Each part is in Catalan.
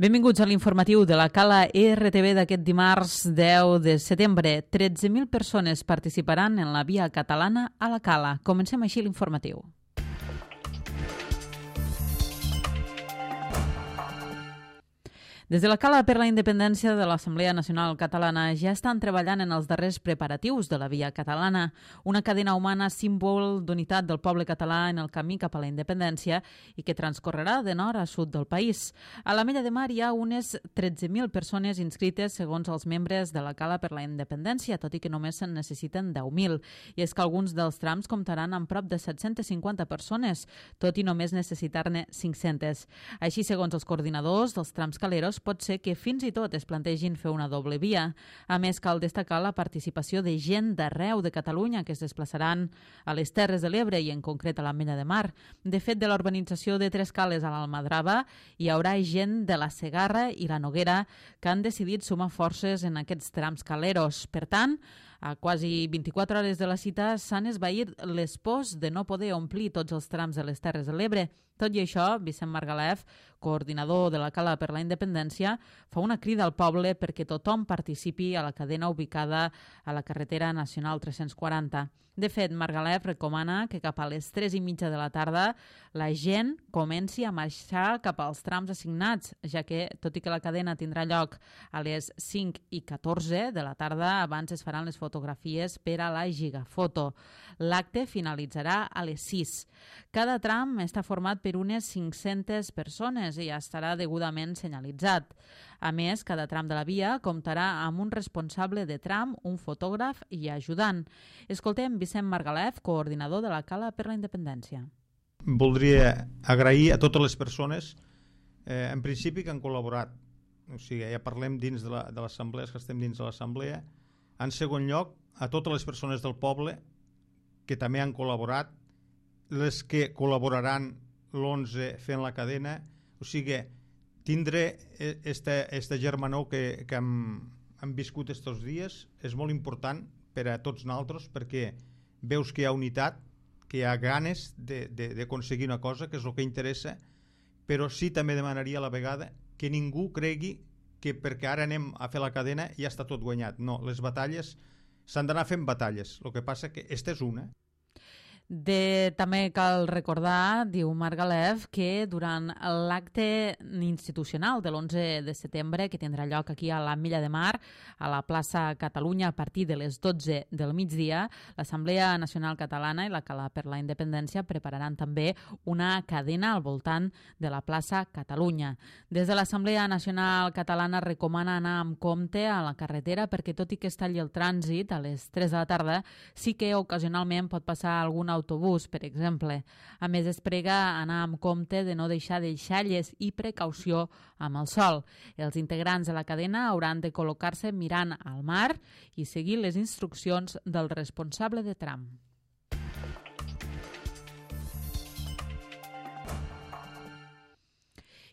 Benvinguts a l'informatiu de la Cala RTV d'aquest dimarts 10 de setembre. 13.000 persones participaran en la Via Catalana a la Cala. Comencem així l'informatiu. Des de la Cala per la Independència de l'Assemblea Nacional Catalana ja estan treballant en els darrers preparatius de la Via Catalana, una cadena humana símbol d'unitat del poble català en el camí cap a la independència i que transcorrerà de nord a sud del país. A l'Ametlla de Mar hi ha unes 13.000 persones inscrites segons els membres de la Cala per la Independència, tot i que només se'n necessiten 10.000. I és que alguns dels trams comptaran amb prop de 750 persones, tot i només necessitar-ne 500. Així, segons els coordinadors dels trams caleros, pot ser que fins i tot es plantegin fer una doble via. A més, cal destacar la participació de gent d'arreu de Catalunya que es desplaçaran a les Terres de l'Ebre i en concret a l'Ametlla de Mar. De fet, de l'urbanització de Tres Cales a l'Almadrava hi haurà gent de la Segarra i la Noguera que han decidit sumar forces en aquests trams caleros. Per tant, a quasi 24 hores de la cita s'han esvaït les pors de no poder omplir tots els trams de les Terres de l'Ebre. Tot i això, Vicent Margalef, coordinador de la Cala per la Independència, fa una crida al poble perquè tothom participi a la cadena ubicada a la carretera nacional 340. De fet, Margalef recomana que cap a les 3:30 de la tarda la gent comenci a marxar cap als trams assignats, ja que, tot i que la cadena tindrà lloc a les 5:14 de la tarda, abans es faran les fotografies per a la gigafoto. L'acte finalitzarà a les 6. Cada tram està format per unes 500 persones i ja estarà degudament senyalitzat. A més, cada tram de la via comptarà amb un responsable de tram, un fotògraf i ajudant. Escoltem Vicent Margalef, coordinador de la Cala per la Independència. Voldria agrair a totes les persones, en principi, que han col·laborat. O sigui, ja parlem dins de l'assemblea, que estem dins de l'assemblea. En segon lloc, a totes les persones del poble que també han col·laborat, les que col·laboraran l'11 fent la cadena. O sigui, tindre esta germanor que hem viscut estos dies és molt important per a tots nosaltres, perquè veus que hi ha unitat, que hi ha ganes d'aconseguir una cosa, que és el que interessa, però sí també demanaria a la vegada que ningú cregui que perquè ara anem a fer la cadena ja està tot guanyat. No, les batalles s'han d'anar fent batalles. El que passa que esta és una. També cal recordar, diu Margalef, que durant l'acte institucional de l'11 de setembre, que tindrà lloc aquí a l'Ametlla de Mar, a la plaça Catalunya, a partir de les 12 del migdia, l'Assemblea Nacional Catalana i la Cala per la Independència prepararan també una cadena al voltant de la plaça Catalunya. Des de l'Assemblea Nacional Catalana recomana anar amb compte a la carretera perquè, tot i que es talli el trànsit a les 3 de la tarda, sí que ocasionalment pot passar algun autobús, per exemple. A més, es prega anar amb compte de no deixar deixalles i precaució amb el sol. Els integrants de la cadena hauran de col·locar-se mirant al mar i seguir les instruccions del responsable de tram.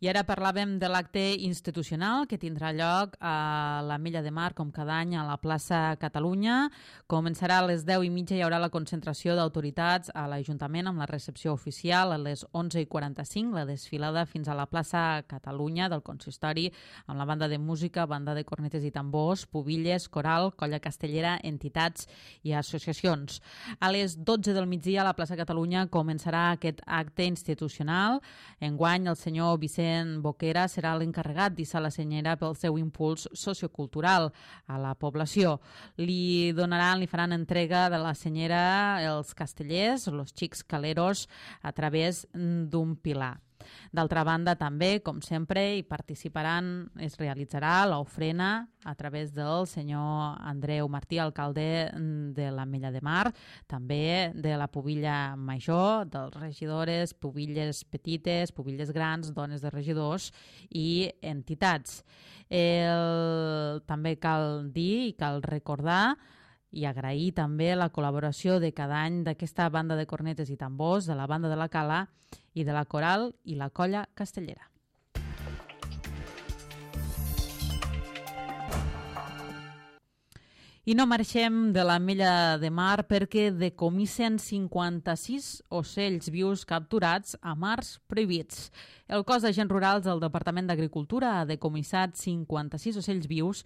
I ara parlàvem de l'acte institucional que tindrà lloc a l'Ametlla de Mar, com cada any, a la plaça Catalunya. Començarà a les 10:30, hi haurà la concentració d'autoritats a l'Ajuntament amb la recepció oficial. A les 11:45, la desfilada fins a la plaça Catalunya del consistori, amb la banda de música, banda de cornetes i tambors, pubilles, coral, colla castellera, entitats i associacions. A les 12 del migdia, a la plaça Catalunya, començarà aquest acte institucional. Enguany, el senyor Vicent Boquera serà l'encarregat d'hissar la senyera pel seu impuls sociocultural a la població. Li faran entrega de la senyera els castellers, els xics caleros, a través d'un pilar. D'altra banda, també, com sempre, hi participaran, es realitzarà l'ofrena a través del senyor Andreu Martí, alcalde de l'Ametlla de Mar, també de la pubilla major, dels regidores, pubilles petites, pubilles grans, dones de regidors i entitats. També cal dir i cal recordar i agrair també la col·laboració de cada any d'aquesta banda de cornetes i tambors, de la banda de la Cala i de la Coral i la Colla Castellera. I no marxem de l'Ametlla de Mar perquè decomissen 56 ocells vius capturats a mars prohibits. El cos d'agents rurals del Departament d'Agricultura ha decomissat 56 ocells vius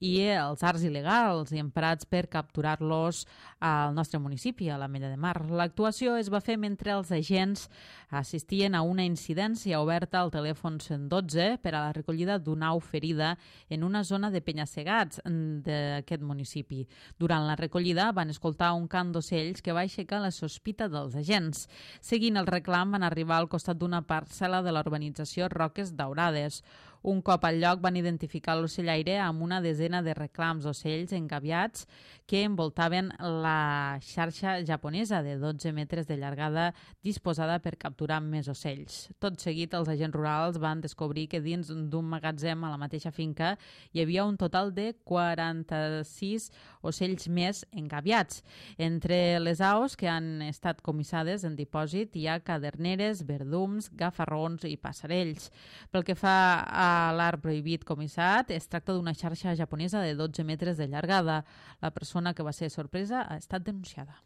i els arts il·legals emprats per capturar-los al nostre municipi, a l'Ametlla de Mar. L'actuació es va fer mentre els agents assistien a una incidència oberta al telèfon 112 per a la recollida d'una au ferida en una zona de penya-segats d'aquest municipi. Durant la recollida van escoltar un cant d'ocells que va aixecar la sospita dels agents. Seguint el reclam van arribar al costat d'una parcel·la de la urbanització Roques Daurades. Un cop al lloc van identificar l'ocellaire amb una desena de reclams d'ocells engaviats que envoltaven la xarxa japonesa de 12 metres de llargada disposada per capturar més ocells. Tot seguit, els agents rurals van descobrir que dins d'un magatzem a la mateixa finca hi havia un total de 46 ocells més engaviats. Entre les aus que han estat comissades en dipòsit hi ha caderneres, verdums, gafarrons i passarells. Pel que fa a l'art prohibit comissat, es tracta d'una xarxa japonesa de 12 metres de llargada. La persona que va ser sorpresa ha estat denunciada.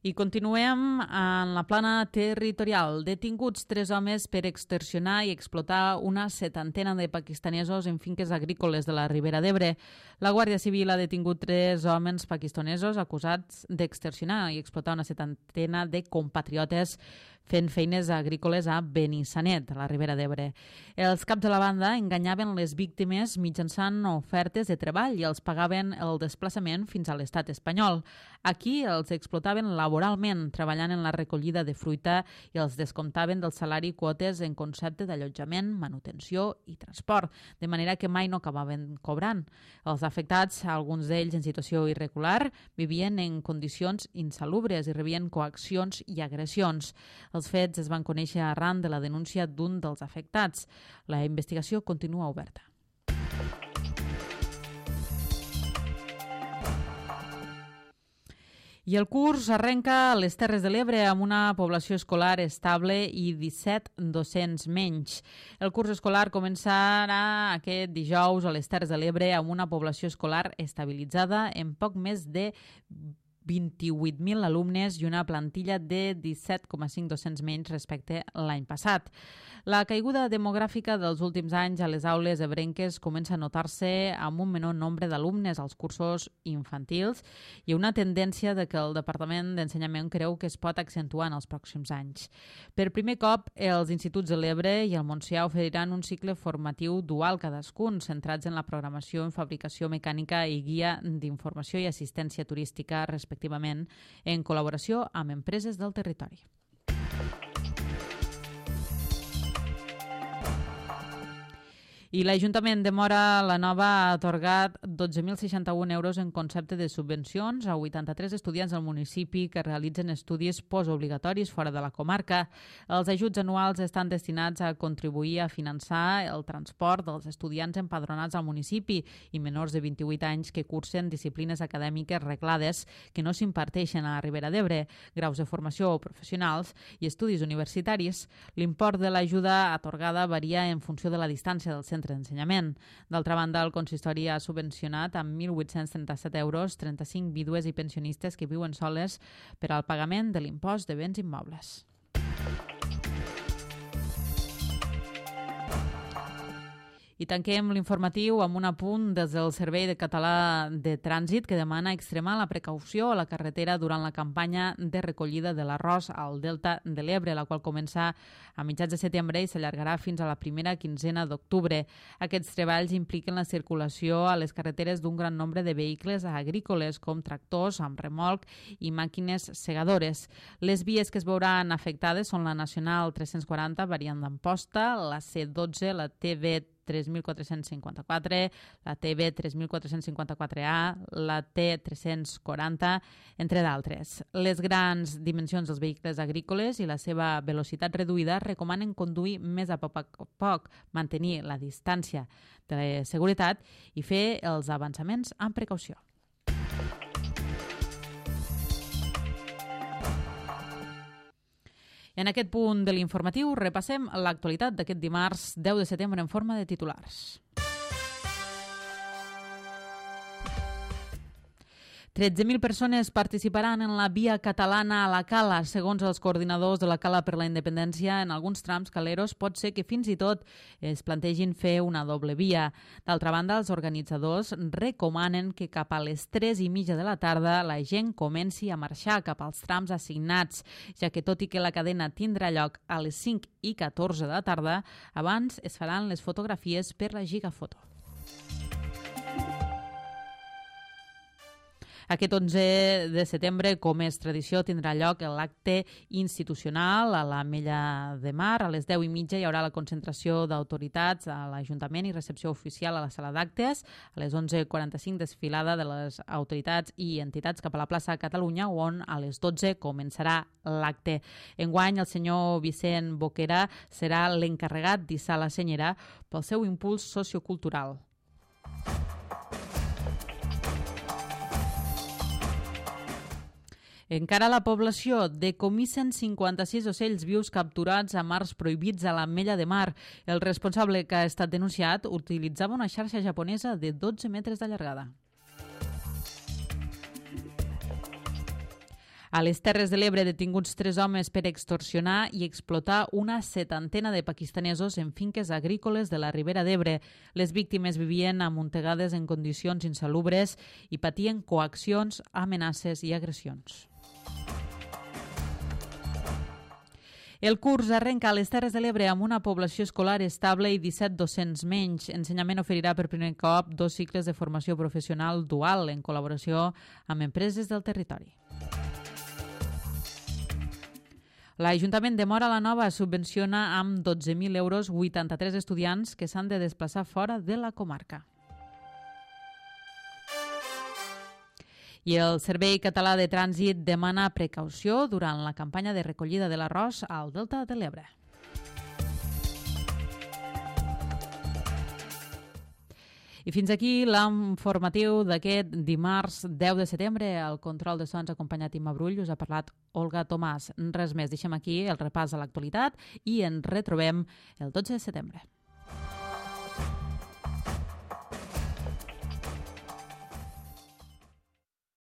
I continuem en la plana territorial. Detinguts 3 homes per extorsionar i explotar una 70 de pakistanesos en finques agrícoles de la Ribera d'Ebre. La Guàrdia Civil ha detingut 3 homes pakistanesos acusats d'extorsionar i explotar una 70 de compatriotes fent feines agrícoles a Benissanet, a la Ribera d'Ebre. Els caps de la banda enganyaven les víctimes mitjançant ofertes de treball i els pagaven el desplaçament fins a l'estat espanyol. Aquí els explotaven laboralment, treballant en la recollida de fruita i els descomptaven del salari quotes en concepte d'allotjament, manutenció i transport, de manera que mai no acabaven cobrant. Els afectats, alguns d'ells en situació irregular, vivien en condicions insalubres i rebien coaccions i agressions. Els fets es van conèixer arran de la denúncia d'un dels afectats. La investigació continua oberta. I el curs arrenca a les Terres de l'Ebre amb una població escolar estable i 17 docents menys. El curs escolar començarà aquest dijous a les Terres de l'Ebre amb una població escolar estabilitzada en poc més de 28.000 alumnes i una plantilla de 17,5 docents menys respecte l'any passat. La caiguda demogràfica dels últims anys a les aules ebrenques comença a notar-se amb un menor nombre d'alumnes als cursos infantils i una tendència de que el Departament d'Ensenyament creu que es pot accentuar en els pròxims anys. Per primer cop, els instituts de l'Ebre i el Montsià oferiran un cicle formatiu dual cadascun, centrats en la programació en fabricació mecànica i guia d'informació i assistència turística, respectivament, en col·laboració amb empreses del territori. I l'Ajuntament de Móra la Nova ha atorgat 12.061 euros en concepte de subvencions a 83 estudiants del municipi que realitzen estudis postobligatoris fora de la comarca. Els ajuts anuals estan destinats a contribuir a finançar el transport dels estudiants empadronats al municipi i menors de 28 anys que cursen disciplines acadèmiques reglades que no s'imparteixen a la Ribera d'Ebre, graus de formació professionals i estudis universitaris. L'import de l'ajuda atorgada varia en funció de la distància del centre d'ensenyament. D'altra banda, el consistori ha subvencionat amb 1.837 euros 35 vídues i pensionistes que viuen soles per al pagament de l'impost de béns immobles. I tanquem l'informatiu amb un apunt des del Servei de Català de Trànsit que demana extremar la precaució a la carretera durant la campanya de recollida de l'arròs al Delta de l'Ebre, la qual comença a mitjans de setembre i s'allargarà fins a la primera quinzena d'octubre. Aquests treballs impliquen la circulació a les carreteres d'un gran nombre de vehicles agrícoles, com tractors amb remolc i màquines segadores. Les vies que es veuran afectades són la Nacional 340, variant d'Amposta, la C12, la TV 3.454, la TV 3.454A, la T340, entre d'altres. Les grans dimensions dels vehicles agrícoles i la seva velocitat reduïda recomanen conduir més a poc a poc, mantenir la distància de seguretat i fer els avançaments amb precaució. En aquest punt de l'informatiu repassem l'actualitat d'aquest dimarts 10 de setembre en forma de titulars. 13.000 persones participaran en la Via Catalana a la Cala. Segons els coordinadors de la Cala per la Independència, en alguns trams caleros pot ser que fins i tot es plantegin fer una doble via. D'altra banda, els organitzadors recomanen que cap a les 3:30 de la tarda la gent comenci a marxar cap als trams assignats, ja que tot i que la cadena tindrà lloc a les 5:14 de la tarda, abans es faran les fotografies per la Gigafoto. Aquest 11 de setembre, com és tradició, tindrà lloc l'acte institucional a l'Ametlla de Mar. A les 10:30 hi haurà la concentració d'autoritats a l'Ajuntament i recepció oficial a la sala d'actes. A les 11:45 desfilada de les autoritats i entitats cap a la plaça Catalunya, on a les 12 començarà l'acte. Enguany, el senyor Vicent Boquera serà l'encarregat d'hissar la senyera pel seu impuls sociocultural. Encara a la població decomissen 56 ocells vius capturats a mars prohibits a l'Ametlla de Mar. El responsable que ha estat denunciat utilitzava una xarxa japonesa de 12 metres de llargada. A les Terres de l'Ebre, detinguts 3 homes per extorsionar i explotar una 70 de pakistanesos en finques agrícoles de la Ribera d'Ebre. Les víctimes vivien amuntegades en condicions insalubres i patien coaccions, amenaces i agressions. El curs arrenca a les Terres de l'Ebre amb una població escolar estable i 17 docents menys. Ensenyament oferirà per primer cop 2 cicles de formació professional dual en col·laboració amb empreses del territori. L'Ajuntament de Móra la Nova subvenciona amb 12.000 euros 83 estudiants que s'han de desplaçar fora de la comarca. I el Servei Català de Trànsit demana precaució durant la campanya de recollida de l'arròs al Delta de l'Ebre. I fins aquí l'informatiu d'aquest dimarts 10 de setembre. Al control de sons acompanyat Imma Brull, us ha parlat Olga Tomàs. Res més, deixem aquí el repàs a l'actualitat i ens retrobem el 12 de setembre.